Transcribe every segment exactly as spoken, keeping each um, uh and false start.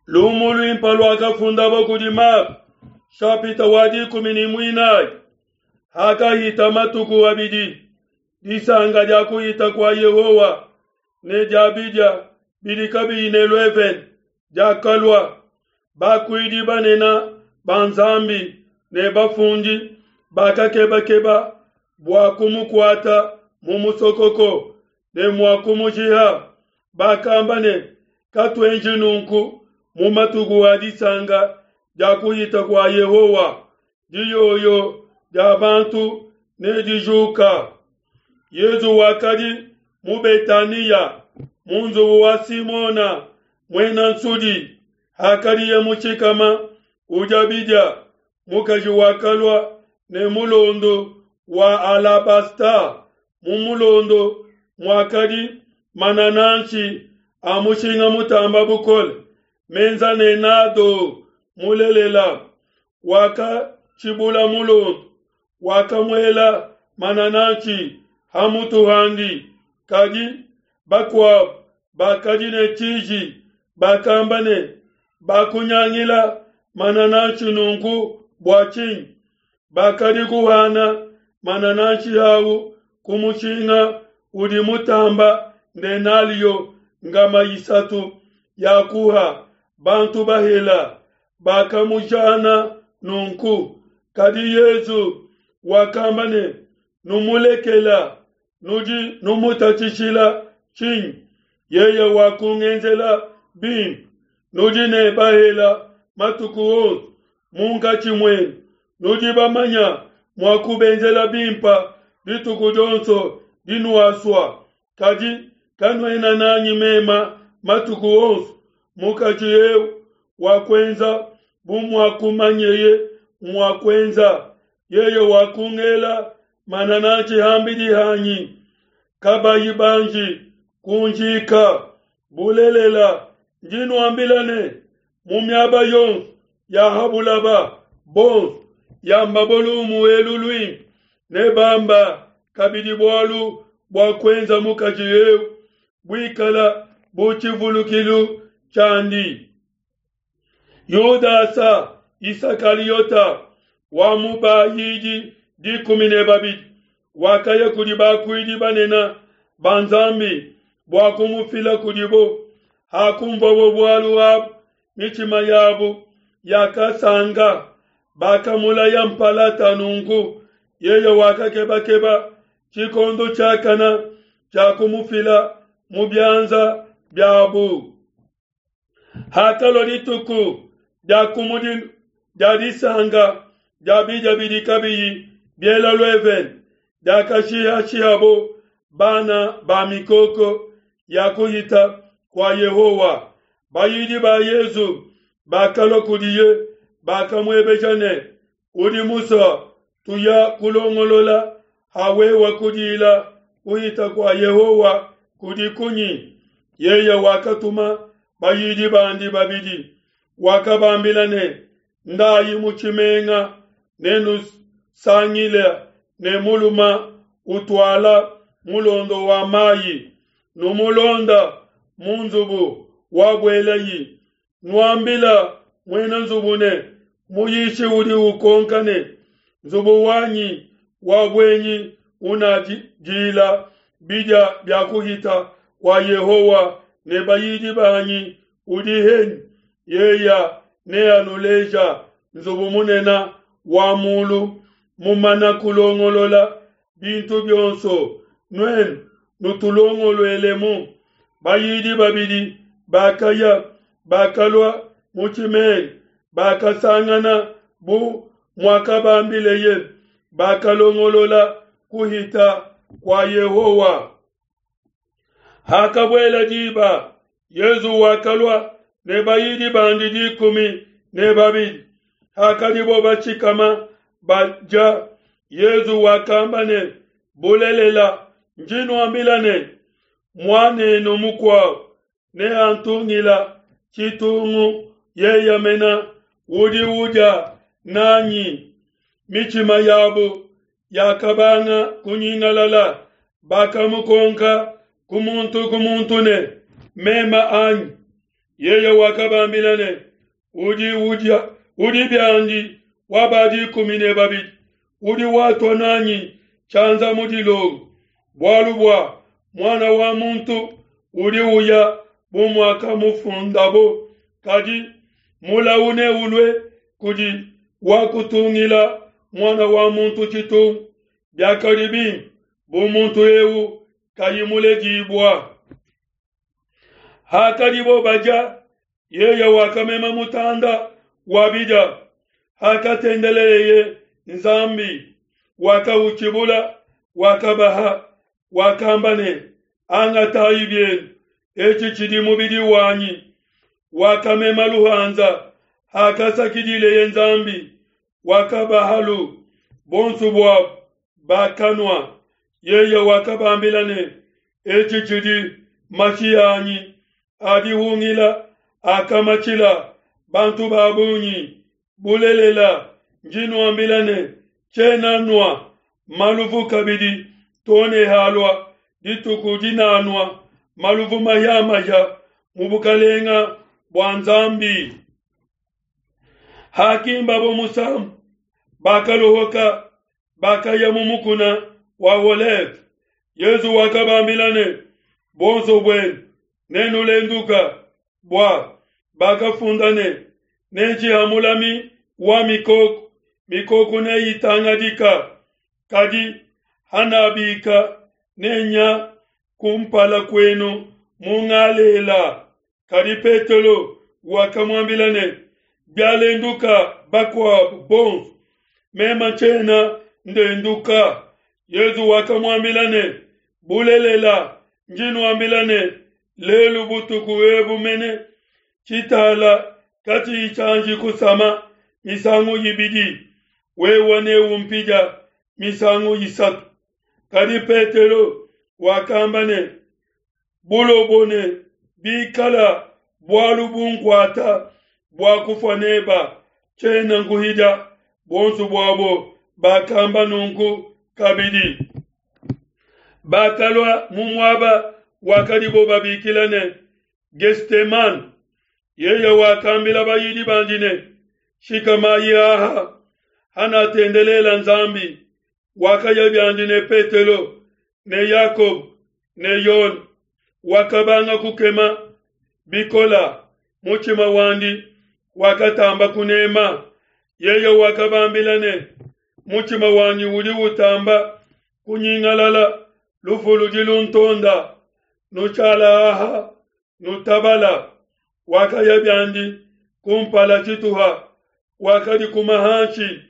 Lumu luimpe luakafundabo kudi Mako, shapita wa dikumi ne muinayi. Hakahita matuku abidi, disanka dia kuhita kua Yehowa ne dia bidia bidi kabiyi ne luevene diakalua. Bakuidi banene ba Nzambi ne bafundi bakakebakeba bua kumukuata mu musokoko ne mua kumushiha. Bakamba ne, katuenji nunku mu matuku a disanka dia kuhita kua Yehowa, diyoyo dia bantu nedijuka. Yezu wakadi mu Betaniya, mu nzubu wa Simona muena nsudi. Hakadiye mushikama udia bidia, mukaji wakalua ne mulondo wa alabasta, mu mulondo muakadi manananshi a mushinga mutamba bukole, menza ne nado mulelela. Wakatshibula mulondo, wakamuela manananshi ha mutu handi. Kadi bakuabo bakadi ne tshiji, bakamba ne, bakunyangila manananshi nunku bua tshinyi? Bakadi kuhana manananshi au ku mushinga udi mutamba ndenalio ngama isatu ya kuha bantu bahela. Bakamujana nunku. Kadi Yezu wakamba ne, numulekela, nudi numutatshishila tshinyi? Yeye wakungenzela bimpe. Nudi ne bahela matuku onso munkatshi muenu, nudi bamanya mua kubenzela bimpe dituku dionso dinuasua, kadi kanuena nanyi mema matuku onso. Mukaji eu wakuenza bu muakumanyeye mua kuenza, yeye wakungela manananshi hambidi hanyi, kabayi banji kunjika. Bulelela ndi nuambila ne, mu miaba yonso ya ha bulaba bonso yamba lumu elu luimpe, ne bamba kabidi bualu bua kuenza mukaji eu buikala bu tshivulukilu tshiandi. Yudasa Isakaliota wa mu bayidi dikumi ne babidi wakaya kudi bakuidi banene ba Nzambi bua kumufila kudibo. Hakumvabo bualu abu, mitshima yabo yakasanga, bakamulaya mpalata. Nunku yeye wakakebakeba tshikondo tshiakana tshia kumufila mu bianza biabu. Hakalua dituku dia kumudilu dia disanka dia bidia bidi kabiyi biela luevene, diakashihashihabo bana ba mikoko ya kuhita kua Yehowa, bayidi ba Yezu bakalua kudiye, bakamuebeja ne, udi musue tuya kulongolola hawewa kudila kuhita kua Yehowa kudi kunyi? Yeye wakatuma bayidi bandi babidi, wakabambila ne, ndayi mu tshimenga, nenusangile ne muluma utuala mulondo wa mayi, numulonda mu nzubu wabuelayi, nuambila muena nzubu ne, muyishi udi ukonka ne, nzubu wanyi wa buenyi unadila bidia bia kuhita kua Yehowa ne bayidi banyi udi henyi? Yeya neanuleja nzubu munene wa mulu mumana kulongolola bintu bionso, nuenu nutulongoluelemu. Bayidi babidi bakaya, bakalua mu tshimenga, bakasangana bu muakabambileye, bakalongolola kuhita kua Yehowa. Hakabuela diba, Yezu wakalua ne bayidi bandi dikumi ne babidi. Hakadibo bashikama badia, Yezu wakamba ne, bulelela ndi nuambila ne, muanenu mukuabo neantungila tshitungu, yeye mena udi udia nanyi. Mitshima yabo yakabanga kunyingalala, bakamukonka ku muntu ku muntu ne, mema anyi? Yeye wakabambila ne, udi udia udi biandi wa ba dikumi ne babidi, udi watua nanyi tshianza mu dilongo, bualu bua Muana wa muntu udi uya bu muakamufundabo, kadi mulawu neulue kudi wakutungila Muana wa muntu tshitungu. Biakadi bimpe bu muntu eu kayi muledibua. Hakadibo badia, yeye wakamema mutanda wa bidia, hakatendeleleye Nzambi, wakautshimbula, wakabaha, wakamba ne, angatayi bienu, etshi tshidi mubidi wanyi. Wakamema luhanza, hakasakidileye Nzambi, wakabahalu, bonso buabo bakanua. Yeye wakabambila ne, etshi tshidi mashi anyi adi hungila akamatshila bantu ba bungi. Bulelela ndi nuambila ne, tshiena nua maluvu kabidi too ne halua dituku dinanua maluvu mahia-mahia mu bukalenga bua Nzambi. Hakimbabo musambu, bakalohoka, bakaya mu mukuna wa Oleve. Yesu wakabambila ne, bonso buenu nenulenduka, bua bakafunda ne, nenshiha mulami wa mikoko, mikoko neitangadika. Kadi hanabika nenya kumpala kwenu mu Ngalela. Kadi Petelo wakamuambila ne, bialenduka bakuabu bonso, mema tshiena ndenduka. Yesu wakamuambila ne, bulelela ndi nuambila ne, lelu butuku ebu mene tshitala katshiyi tshianji kusama misangu ibidi, wewe neumpidia misangu isatu. Kadi Petelo wakamba ne, bulobo ne bikala bualu bunkuata bua kufua neba, tshiena nkuhidia. Bonso buabo bakamba nunku kabidi. Bakalua mu muaba wakadibo babikila ne Gethsemane. Yeye wakambila bayidi bandi ne, shikamayi aha, hanatendelela Nzambi. Wakaya biandi ne Petelo ne Yakobo ne Yone. Wakabanga kukema bikola, mutshima wandi wakatamba kunema. Yeye wakabambila ne, mutshima wanyi udi utamba kunyingalala, lufu ludi luntonda, nutshala aha nutabala. Wakaya biandi kumpala tshituha, wakadi kuma hanshi,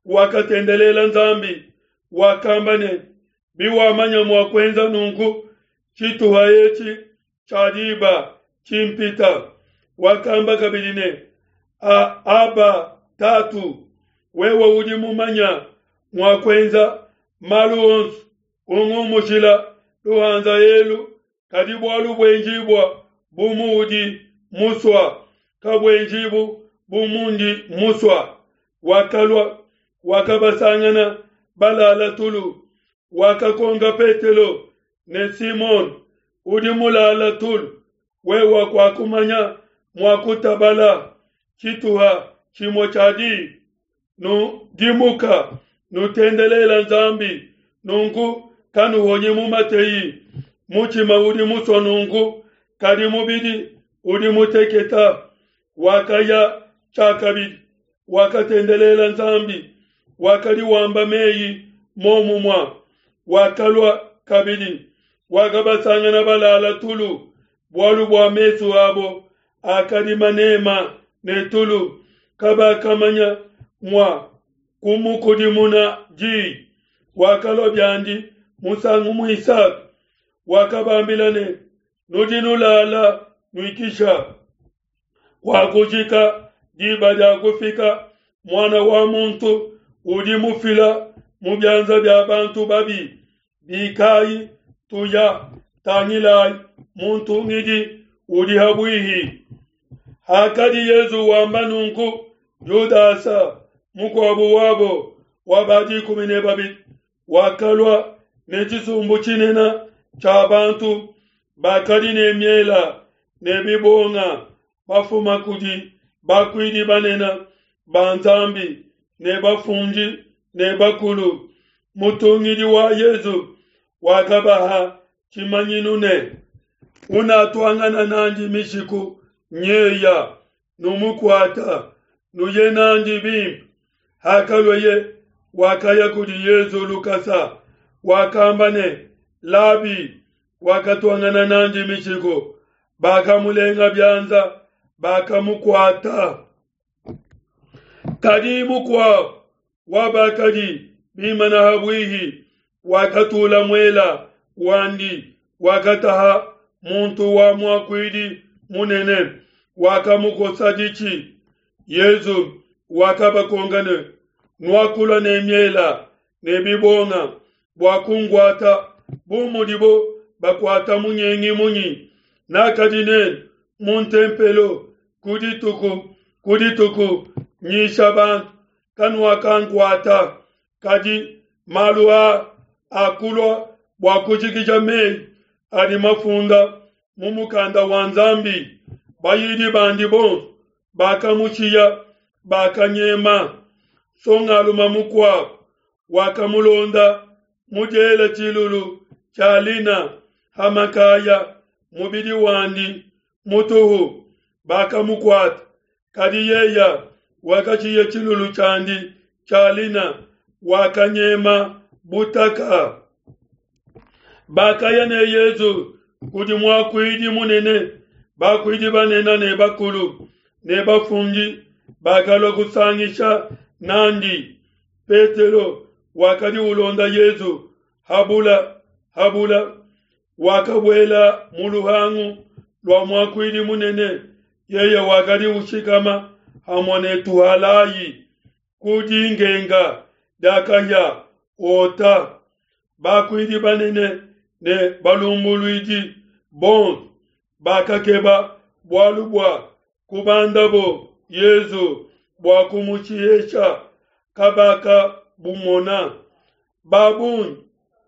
wakatendelela Nzambi, wakamba ne, biwamanya mua kuenza nunku tshituha etshi tshia diba tshimpita. Wakamba kabidi ne, a aba tatu, wewe udi mumanya mua kuenza malu onso, ungumushila luhanza elu, kadi bualu buenjibua bu muudi musua, kabuenjibu bu mundi musua. Wakalua, wakabasangana balala tulu. Wakakonka Petelo ne Simon, udi mulala tulu, wewe kwakumanya mua kutabala tshituha tshimue tshia diba? Nudimuka, nutendelela Nzambi, nunku kanuhonyi mu mateyi. Mutshima udi musua nunku, kadi mubidi udi muteketa. Wakaya tshiakabidi, wakatendelela Nzambi, wakadi wamba meyi momumua. Wakalua kabidi, wakabasangana balala tulu, bualu bua mesu abo akadi manema ne tulu, kabakamanya mua kumukudimuna di. Wakalua biandi musangu muisatu, wakabambila ne, nudi nulala nuikisha. Wakujika diba dia kufika, Muana wa muntu udi mufila mu bianza bia bantu babi. Bikayi tuya, tangilayi muntu ngidi udi habuihi. Hakadi Yesu wamba nunku, Yudasa mukuabu wabo wa ba dikumi ne babidi wakalua ne tshisumbu tshinene tshia bantu bakadi ne miela ne bibonga bafuma kudi bakuidi banene ba Nzambi ne bafundi ne bakulu. Mutungidi wa Yezu wakabaha tshimanyinu ne, unatuangana nandi mishiku nyeya, numukuata, nuye nandi bimpe. Hakalueye wakaya kudi Yezu lukasa, wakamba ne, Labi. Wakatuangana nandi mishiku, bakamulenga bianza, bakamukuata. Kadi mukuabo wa bakadi bimana habuihi wakatula muela wandi, wakataha muntu wa muakuidi munene, wakamukosa ditshi. Yezu wakabakonka ne, nuakulua ne miela ne bibonga bua kunguata bu mudibo bakuata munyengi munyi? Nakadi nenu mu ntempelo ku dituku ku dituku nyisha bantu, kanuakankuata. Kadi malu aa akulua bua kujikija meyi adi mafunda mu mukanda wa Nzambi. Bayidi bandi bonso bakamushiya, bakanyema. Songaluma mukuabo wakamulonda mudiela tshilulu tshia lina ha makaya, mubidi wandi mutuhu, bakamukuata. Kadi yeya wakashiya tshilulu tshiandi tshia lina, wakanyema butaka. Bakaya ne Yezu kudi muakuidi munene, bakuidi banene ne bakulu ne bafundi bakalua kusangisha nandi. Petelo wakadi ulonda Yezu habula habula, wakabuela mu luhangu lua muakuidi munene. Yeye wakadi ushikama hamue ne tuhalayi ku dingenga dia kahia ota. Bakuidi banene ne balumbuluidi bonso bakakeba bualu bua kubandabo Yezu bua kumushihesha, kabakabumona. Babungi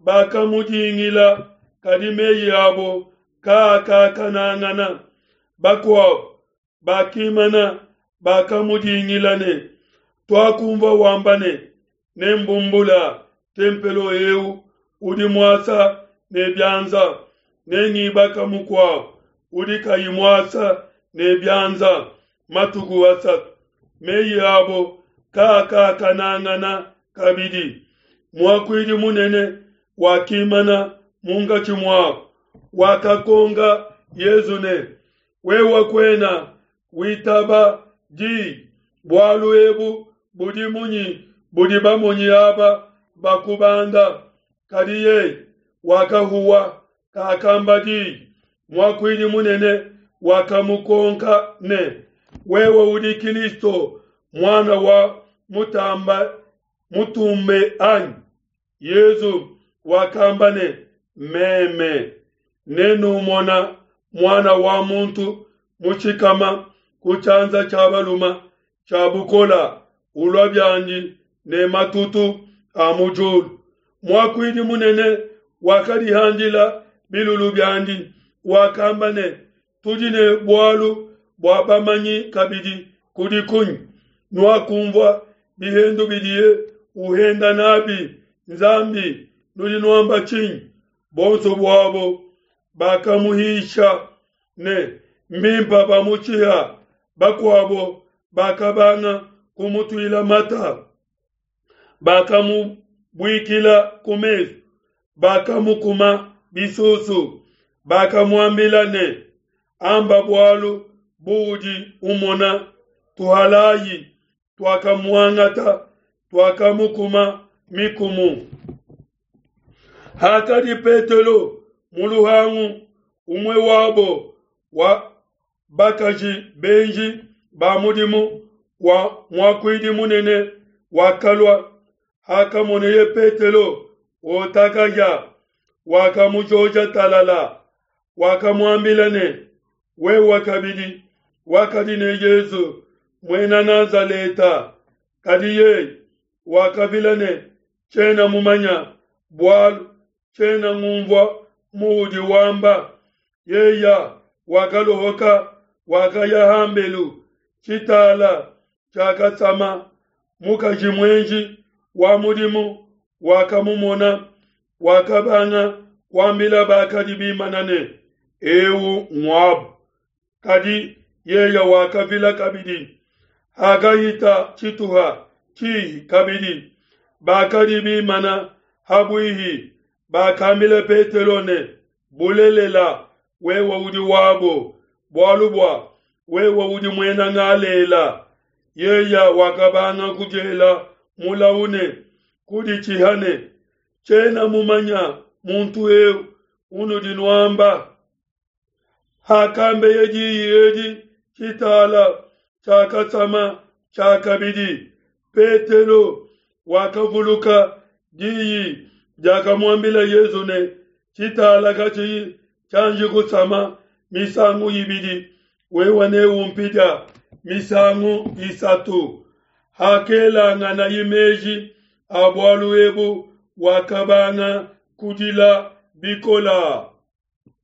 bakamudingila, kadi meyi abo kaakakanangana. Bakuabo bakimana bakamudingila ne, tuakumvua wamba ne, nembumbula tempelo eu udi muasa ne bianza, nengibaka mukuabo udi kayi muasa ne bianza matuku asatu. Meyi abo kaakakanangana kabidi. Muakuidi munene wakimana munkatshi muabo, wakakonka Yezu ne, wewe kuena witaba di bualu ebu budi munyi budi bamonyi aba bakubanda? Kadi yeye wakahuwa, kakamba di. Muakuidi munene wakamukonka ne, wewe udi Kristo muana wa mutamba mutumbe anyi? Yezu wakamba ne, meme nenumona muana wa muntu mushikama ku tshianza tshia baluma tshia bukola, ulua biandi ne matutu a mu diulu. Muakuidi munene wakadihandila bilulu biandi, wakamba ne, tudi ne bualu bua bamanyi kabidi kudi kunyi? Nuakumvua bihendu bidiye uhenda nabi Nzambi, nudi nuamba tshinyi? Bonso buabo bakamuhisha ne, mbimpa bamushiha. Bakuabo bakabanga kumutuila mata, bakamubuikila ku mesu, bakamukuma bisusu, bakamuambila ne, amba bualu buudi umona. Tuhalayi tuakamuangata, tuakamukuma mikumu. Hakadi Petelo mu luhangu, umue wabo wa bakaji benji ba mudimu wa muakuidi munene wakalua. Hakamoneye Petelo otakaja, wakamujoja talala, wakamuambila ne, wewe kabidi wakadi ne Yezu muena Nazaleta. Kadi yeye wakavila ne, tshiena mumanya bualu, tshiena ngumvua muudi wamba. Yeya wakalohoka Wakaya hambelu, tshitala tshiakasama. Mukaji muenji wa mudimu wakamumona, wakabanga kuambila bakadi bimana ne, eu nguabu. Kadi yeya wakavila kabidi. Hakahita tshituha tshihi kabidi, bakadi bimana ha buihi bakambila Petelo ne, Bulelela, wewe udi wabo, bualu bua wewe udi Muena Galela. Yeya wakabanga kudiela mulau ne kuditshiha ne, Tshiena mumanya muntu eu unudi nuamba. Hakambeye diyi edi, tshitala tshiakasama tshiakabidi. Petelo wakavuluka diyi diakamuambila Yesu ne, tshitala katshiyi tshianji kusama misangu ibidi, wewe neumpidia misangu isatu. Hakelanganaye meji a bualu ebu, wakabanga kudila bikola.